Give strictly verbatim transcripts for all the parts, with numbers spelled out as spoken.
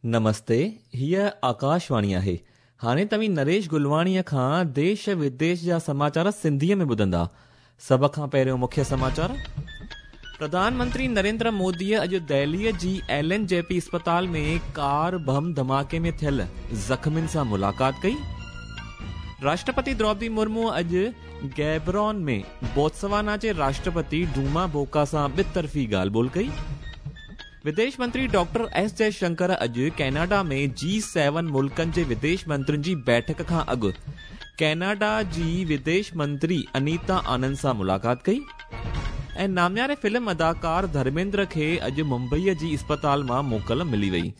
نمستي، هيء آڪاشواڻي آهي. هاڻي توهين نريش گلواڻيءَ کان ديش وديش جا سماچار سنڌيء ۾ ٻڌندا. سڀ کان پهريون مکيه سماچار. پرڌان منتري نريندر موديءَ اڄ دهليءَ جي ايل اين جي پي اسپتال ۾ ڪار بم ڌماڪي ۾ ٿيل زخمين سان ملاقات ڪئي. راشٽرپتي دروپدي مرمو اڄ گيبرون ۾ بوتسوانا جي راشٽرپتي ڊوما بوڪا سان ٻطرفي ڳالهه ٻولهه ڪئي. وديش منتري ڊاڪٽر ايس جئشنڪر اڄ ڪينيڊا ۾ جي سيون ملڪن جي وديش منترين جي بيٺڪ کان اڳ ڪينيڊا جي وديش منتري انيتا آنند سان ملاقات ڪئي. ۽ نامياري فلم اداڪار ڌرميندر کي اڄ ممبئيءَ جي اسپتال مان موڪل ملي وئي.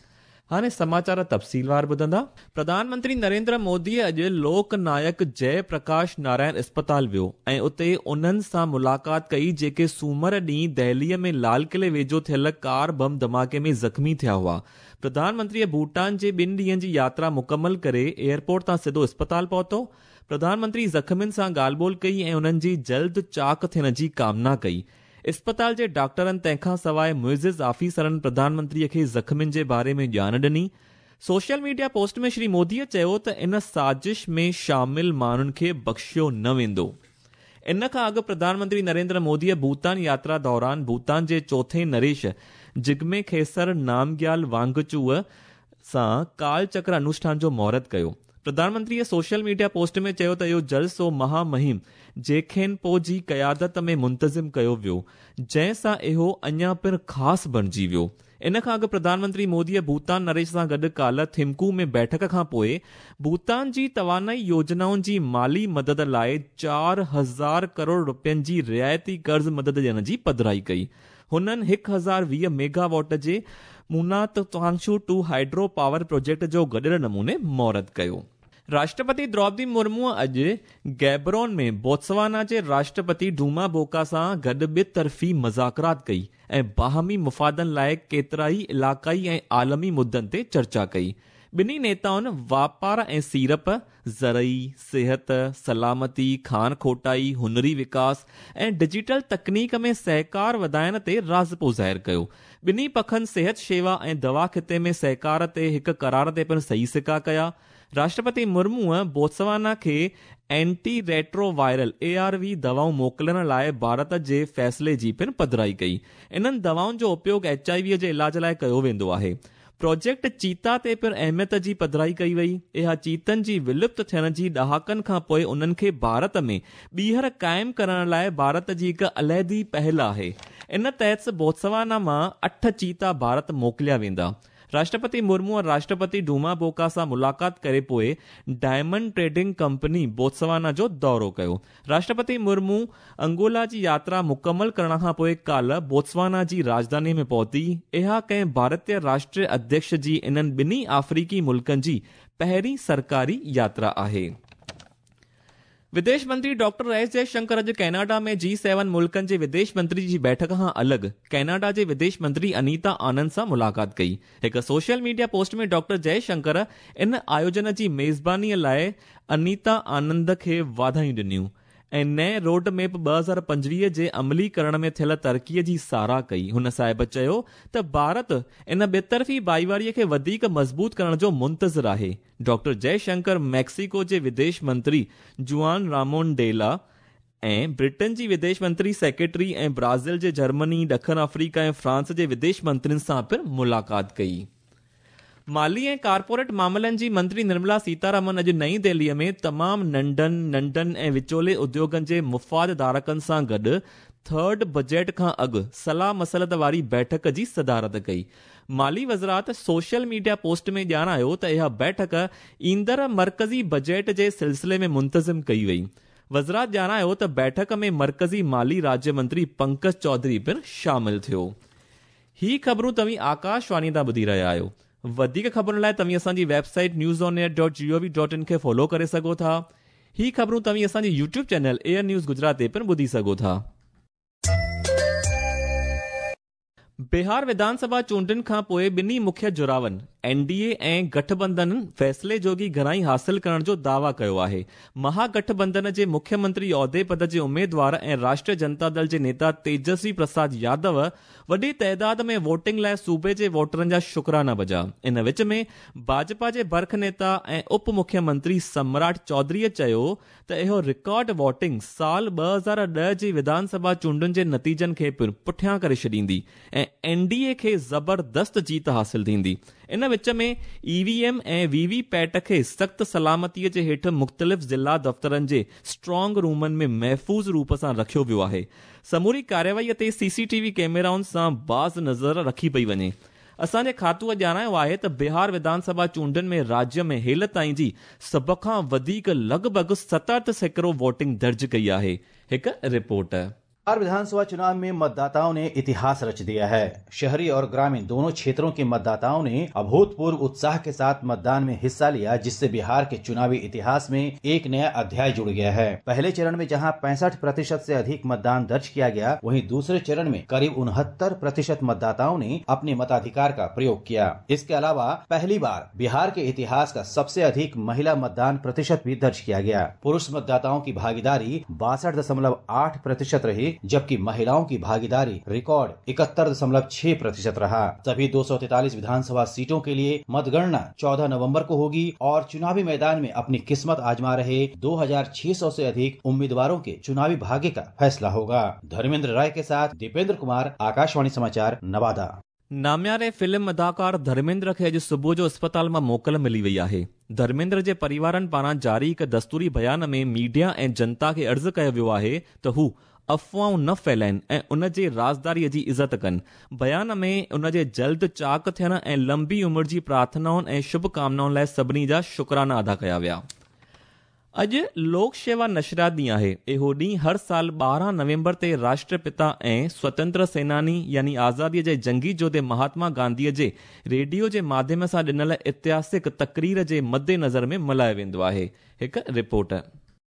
هاڻي سماچار تفصيلوار ٻڌندا. پرڌان منتري نريندر مودي اڄ لوڪ نايڪ جئي پرڪاش نارائڻ اسپتال ويو ۽ اتي انهن سان ملاقات ڪئي جيڪي سومر ڏينهن دهليءَ ۾ لال قلعي ويجهو ٿيل ڪار بم ڌماڪي ۾ زخمي ٿيا هئا. پرڌان منتري ڀوٽان جي ٻن ڏينهن جي ياترا مڪمل ڪري ايئرپورٽ تان سڌو اسپتال پهتو. پرڌان منتري زخمين سان ڳالهه ٻولهه ڪئي ۽ انهن جي جلد چاڪ ٿيڻ جي ڪامنا ڪئي. اسپتال جي ڊاڪٽرن تنهن کان سواءِ معزز آفيسرن پرڌان منتريءَ کي زخمين جي باري ۾ ڄاڻ ڏني. سوشل ميڊيا پوسٽ ۾ شري موديءَ چيو ته ان سازش ۾ شامل ماڻهن کي بخشيو نه ويندو. ان کان اڳ پرڌان منتري نريندر موديءَ ڀوٽان ياترا دوران ڀوٽان جي چوٿين نريش جگمي کيسر نامگيال وانگچوءَ سان ڪال چڪر انوشٺان جو مهورت ڪيو. پرڌان منتريءَ سوشل ميڊيا پوسٽ ۾ چيو ته اهو جلسو مهامهم جيکين پو جي قيادت ۾ منتظم ڪيو ويو، جنهن سان اهو اڃا پڻ خاص بڻجي ويو. ان کان اڳ پرڌان منتري موديءَ ڀوٽان نريش سان گڏ ڪالهه ٿمڪو ۾ بيٺڪ کان پوءِ ڀوٽان جي توانائي يوجنائن جي مالي مدد لاءِ چار هزار ڪروڙ رپين جي رعايتي قرض مدد ڏيڻ جي پڌرائي ڪئي. هنن هڪ هزار ويهه ميگاواٽ جي Munat Tsangchu two hydro power project جو گڏيل نموني مهورت ڪيو. راشٽرپتي دروپدي مرمو اڄ گيبرون ۾ بوتسوانا جي راشٽرپتي ڊوما بوڪا سان گڏ ٻطرفي مذاڪرات ڪئي ۽ باهمي مفادن لاءِ ڪيترائي علائقائي ۽ عالمي مدن تي چرچا ڪئي. ٻنهي نيتائن واپار ۽ سيڙپ، زرعي، صحت، سلامتي، کان کوٽائي، هنري وڪاس ۽ ڊجيٽل تڪنيڪ ۾ سهڪار وڌائڻ تي راضپو ظاهر ڪيو. ٻنهي پکن صحت شيوا ۽ دوا خطي ۾ سهڪار تي هڪ قرار تي پڻ صحيح سڪا ڪيا. راشٽرپتي مرموءَ بوتسوانا کي anti retroviral A R V دوائون موڪلڻ لاءِ ڀارت جي فيصلي جي پڻ پڌرائي ڪئي. انهن دوائن جو اپيوگ ايڇ I ويءَ جي علاج لاءِ ڪيو ويندو آهي. پروجيڪٽ چيتا تي پڻ اهميت جي پڌرائي ڪئي وئي. اها چيتن جي ولپت ٿيڻ جي ڏهاڪن کان پوءِ انهن کي ڀارت ۾ ٻيهر قائم ڪرڻ لاءِ ڀارت جي هڪ علحدي پهل آهي. ان تحت بوتسوانا مان اٺ چيتا ڀارت موڪليا ويندا. راشٽرپتي مرمو راشٽرپتي ڊوما بوڪا سان ملاقات ڪري پوءِ ڊائمنڊ ٽريڊنگ ڪمپني بوتسوانا جو دورو ڪيو. راشٽرپتي مرمو انگولا جي ياترا مڪمل ڪرڻ کان پوءِ ڪالهه بوتسوانا جي راڄڌاني ۾ پهتي. اها ڪنهن ڀارتيه راشٽريه اڌيڪش جي انهن ٻنهي آفريڪي ملڪن جي پهرين سرڪاري ياترا آهي. وديش منتري ڊاڪٽر ايس جئشنڪر اڄ ڪينيڊا ۾ جي سيون ملڪن جي وديش منتري جي بيٺڪ کان الڳ ڪينيڊا جي وديش منتري انيتا آنند سان ملاقات ڪئي. هڪ سوشل ميڊيا پوسٽ ۾ ڊاڪٽر جئشنڪر ان آيوجن جي ميزبانيءَ لاءِ انيتا آنند کي واڌايون ڏنيون ۽ نئين روڊ ميپ ٻه هزار پنجويهه جي عملي ڪرڻ ۾ ٿيل ترقيءَ جي ساراهه ڪئي. هن صاحب چيو ته ڀارت ان ٻطرفي ڀائيواريءَ کي وڌيڪ مضبوط ڪرڻ جو منتظر آهي. ڊاڪٽر جئشنڪر ميڪسيڪو جي وديش منتري جوان رامون ڊيلا ۽ برٽن جي وديش منتري سيڪريٽري ۽ برازيل جي جرمني، ڏکڻ آفريڪا ۽ فرانس جي وديش منترين سان پڻ ملاقات ڪئي. مالي ۽ ڪارپوريٽ معاملن جي منتري نرملا سيتارامن اڄ نئين دهليءَ ۾ تمام ننڍن ننڍن ۽ وچولي اديوگن جي مفاد ڌارڪن سان گڏ ٿرڊ بجيٽ کان اڳ صلاح مسلت واري بيٺڪ جي صدارت ڪئي. مالي وزارت سوشل ميڊيا پوسٽ ۾ ڄاڻايو ته اها بيٺڪ ايندڙ مرڪزي بجيٽ جي سلسلي ۾ منتظم ڪئي وئي. وزارت ڄاڻايو ته بيٺڪ ۾ مرڪزي مالي راجيه منتري پنڪج چوڌري پڻ شامل ٿيو. هي خبرون توهين آڪاشواڻي تان ٻڌي رهيا آهيو. وڌيڪ خبرن لاءِ توهين اسان جي website news on air dot G O V dot in کي فالو ڪري سگهو ٿا. هي خبرون توهين اسان جي YouTube channel AIR news Gujarat تي پڻ ٻڌي سگهو ٿا. بهار وڌان سڀا چونڊن کان پوءِ ٻنهي مکيه جراون एन डी ए ऐं गठबंधन फ़ैसिले जोगी घणाई हासिल करण जो दावा कयो आहे। महागठबंधन जे मुख्यमंत्री ओहदे पद जे उमेदवार ऐं राष्ट्रीय जनता दल जे नेता तेजस्वी प्रसाद यादव वॾी तइदाद में वोटिंग लाइ सूबे जे वोटरनि जा शुक्राना बजा। इन विच में भाजपा जे बर्ख नेता ऐं उप मुख्यमंत्री सम्राट चौधरीअ चयो त इहो रिकॉर्ड वोटिंग साल ॿ हज़ार ॾह जी विधानसभा चूंडुनि जे नतीजनि खे पिणु पुठियां करे छॾींदी ऐं एन डी ए खे ज़बरदस्त जीत हासिल थींदी। इन विच में ई वी एम ऐं we V PAT खे सख़्त सलामतीअ जे हेठि मुख़्तलिफ़ ज़िला दफ़्तरनि जे स्ट्रॉन्ग रूमनि में महफ़ूज़ रूप सां रखियो वियो आहे। समूरी कार्यवाहीअ ते सी सी टी वी कैमराउनि सां बाज़ नज़र रखी पई वञे। असांजे खातूअ ॼाणायो आहे त बिहार विधानसभा चूंडुनि में राज्य में हेल ताईं जी सभ खां वधीक लॻभॻि सतहठि सैकड़ो वोटिंग दर्ज कई आहे। हिकु रिपोर्ट। बिहार विधानसभा चुनाव में मतदाताओं ने इतिहास रच दिया है। शहरी और ग्रामीण दोनों क्षेत्रों के मतदाताओं ने अभूतपूर्व उत्साह के साथ मतदान में हिस्सा लिया, जिससे बिहार के चुनावी इतिहास में एक नया अध्याय जुड़ गया है। पहले चरण में जहां पैंसठ प्रतिशत से अधिक मतदान दर्ज किया गया, वहीं दूसरे चरण में करीब उनहत्तर प्रतिशत मतदाताओं ने अपने मताधिकार का प्रयोग किया। इसके अलावा पहली बार बिहार के इतिहास का सबसे अधिक महिला मतदान प्रतिशत भी दर्ज किया गया। पुरुष मतदाताओं की भागीदारी बासठ दशमलव आठ प्रतिशत रही, जबकि महिलाओं की भागीदारी रिकॉर्ड इकहत्तर दशमलव छह प्रतिशत रहा। सभी दो सौ तैतालीस विधानसभा सीटों के लिए मतगणना चौदह नवंबर को होगी और चुनावी मैदान में अपनी किस्मत आजमा रहे दो हजार छह सौ से अधिक उम्मीदवारों के चुनावी भाग्य का फैसला होगा। धर्मेंद्र राय के साथ दीपेंद्र कुमार, आकाशवाणी समाचार, नवादा। नामियारे फिल्म अदाकार धर्मेंद्र खे अॼु सुबुह जो अस्पताल मां मोकल मिली वई आहे। धर्मेंद्र जे परिवारनि पारां जारी हिकु दस्तूरी बयान में मीडिया ऐं जनता खे अर्ज़ु कयो वियो आहे त हू अफ़वाहूं न फैलाइनि ऐं उन जे राज़दारीअ जी इज़त कनि। बयान में उन जे जल्द चाक थियण ऐं लंबी उमिरि जी प्रार्थनाउनि ऐं शुभकामनाउनि लाइ सभिनी जा शुक्राना अदा कया विया। अॼु लोक सेवा नशरियात ॾींहुं आहे। इहो ॾींहुं हर साल ॿारहं नवंबर ते राष्ट्रपिता ऐं स्वतंत्र सेनानी यानी आज़ादीअ जे जंगी जोधे महात्मा गांधीअ जे रेडियो जे माध्यम सां ॾिनल ऐतिहासिक तकरीर जे मद्देनज़र में मल्हायो वेंदो आहे। हिकु रिपोर्ट।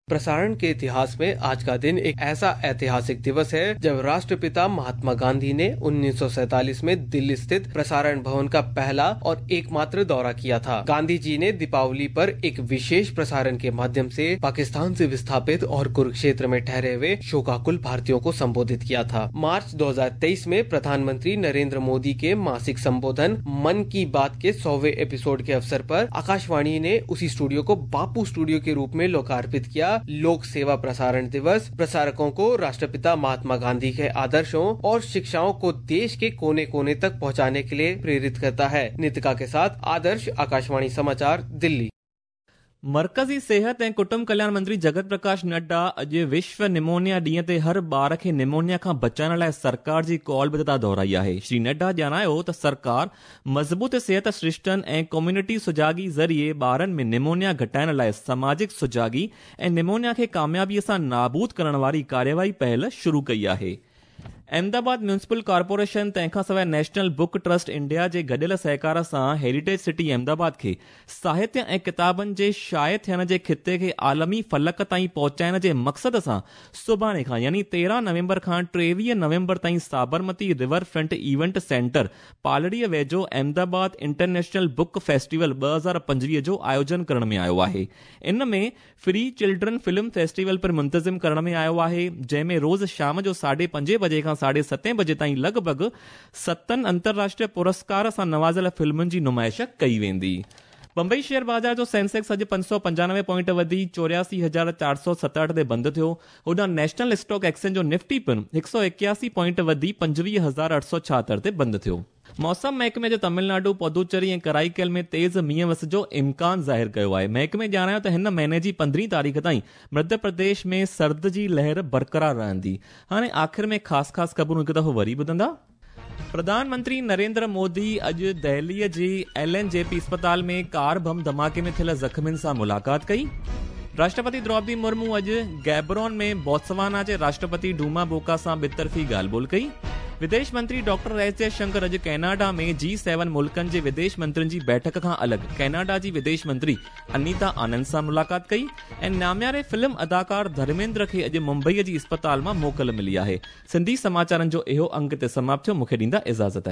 प्रसारण के इतिहास में आज का दिन एक ऐसा ऐतिहासिक दिवस है जब राष्ट्रपिता महात्मा गांधी ने उन्नीस सौ सैतालीस में दिल्ली स्थित प्रसारण भवन का पहला और एकमात्र दौरा किया था। गांधी जी ने दीपावली पर एक विशेष प्रसारण के माध्यम से पाकिस्तान से विस्थापित और कुरुक्षेत्र में ठहरे हुए शोकाकुल भारतीयों को संबोधित किया था। मार्च दो हजार तेईस में प्रधानमंत्री नरेंद्र मोदी के मासिक संबोधन मन की बात के सौवें एपिसोड के अवसर पर आकाशवाणी ने उसी स्टूडियो को बापू स्टूडियो के रूप में लोकार्पित किया। लोक सेवा प्रसारण दिवस प्रसारकों को राष्ट्रपिता महात्मा गांधी के आदर्शों और शिक्षाओं को देश के कोने कोने तक पहुंचाने के लिए प्रेरित करता है। नितिका के साथ आदर्श, आकाशवाणी समाचार, दिल्ली। मरकज़ी सेहत ऐं कुटुंब कल्याण मंत्री जगत प्रकाश नड्डा अॼु विश्व निमोनिया ॾींहं ते हर ॿार खे निमोनिया खां बचाइण लाइ सरकार जी कॉलबद्धता दोहराई आहे। श्री नड्डा ॼाणायो त सरकार मज़बूत सेहत सृष्टनि ऐं कम्युनिटी सुजागी ज़रिए ॿारनि में निमोनिया घटाइण लाइ समाजिक सुजागी ऐं निमोनिया खे कामयाबीअ सां नाबूद करण वारी कार्यवाही पहल शुरू कई आहे। अहमदाबाद म्यूनिसिपल कॉर्पोरेशन तंहिंखां सवाइ नेशनल बुक ट्रस्ट इंडिया जे गॾियल सहकार सां हेरिटेज सिटी अहमदाबाद खे साहित्य ऐं किताबनि जे शाये थियण जे ख़िते खे आलमी फलक ताईं पहुचाइण जे मक़सद सां सुभाणे खां यानी तेरहं नवंबर खां टेवीह नवंबर ताईं Sabarmati river front event centre पालड़ीअ वेझो अहमदाबाद इंटरनेशनल बुक फेस्टिवल ॿ हज़ार पंजवीह जो आयोजन करण में आयो आहे। इन में फ्री चिल्ड्रन फिल्म फेस्टिवल पिणु मुंतज़िम करण में आयो आहे, जंहिंमें रोज़ शाम जो साढे पंजे बजे खां साढे सतें बजे ताईं लॻभॻि सतनि अंतर्राष्ट्रीय पुरस्कार सां नवाज़ियल फिल्मुनि जी नुमाइश कई वेंदी। बंबई शेयर बाज़ार जो सेंसेक्स अॼु पंज सौ पंजानवे पॉइंट वधी चोरियासी हज़ार चारि सौ सतहठि ते बंदि थियो। होॾां नेशनल स्टॉक एक्सचेंज जो निफ्टी पिणु हिकु सौ एकासी पॉइंट वधी पंजवीह हज़ार अठ सौ छाहतरि ते बंदि थियो। मौसम महकमे जो तमिलनाडु, पुदुचेरी ऐं कराईकेल में तेज़ मींहं वस जो इम्कान ज़ाहिर कयो आहे। महकमे ॼाणायो त हिन महीने जी पंद्रहीं तारीख़ ताईं मध्य प्रदेश में सर्द जी लहर बरक़रार रहंदी। हाणे आख़िर में ख़ासि ख़ासि ख़बरूं हिकु दफ़ो वरी ॿुधंदा। प्रधानमंत्री नरेंद्र मोदी अॼु दिल्लीअ जी एल एन जे पी अस्पताल में कार बम धमाके में थियल ज़ख़्मियुनि सां मुलाक़ात कई। राष्ट्रपति द्रौपदी मुर्मू अॼु गैबरोन में बोत्सवाना जे राष्ट्रपति डूमा बोका सां ॿितरफ़ी ॻाल्हि ॿोल कई। विदेश मंत्री डॉक्टर एस जयशंकर अॼु कैनेडा में जी सेवन मुल्कनि जे विदेश मंत्रियुनि जी बैठक खां अलॻि कैनेडा जी विदेश मंत्री अनीता आनंद सां मुलाक़ात कई। ऐं नामियारे फिल्म अदाकार धर्मेंद्र खे अॼु मुंबईअ जी अस्पताल मां मोकल मिली आहे। सिंधी समाचारनि जो इहो अंक ते समाप्त थियो। मूंखे ॾींदा इजाज़त।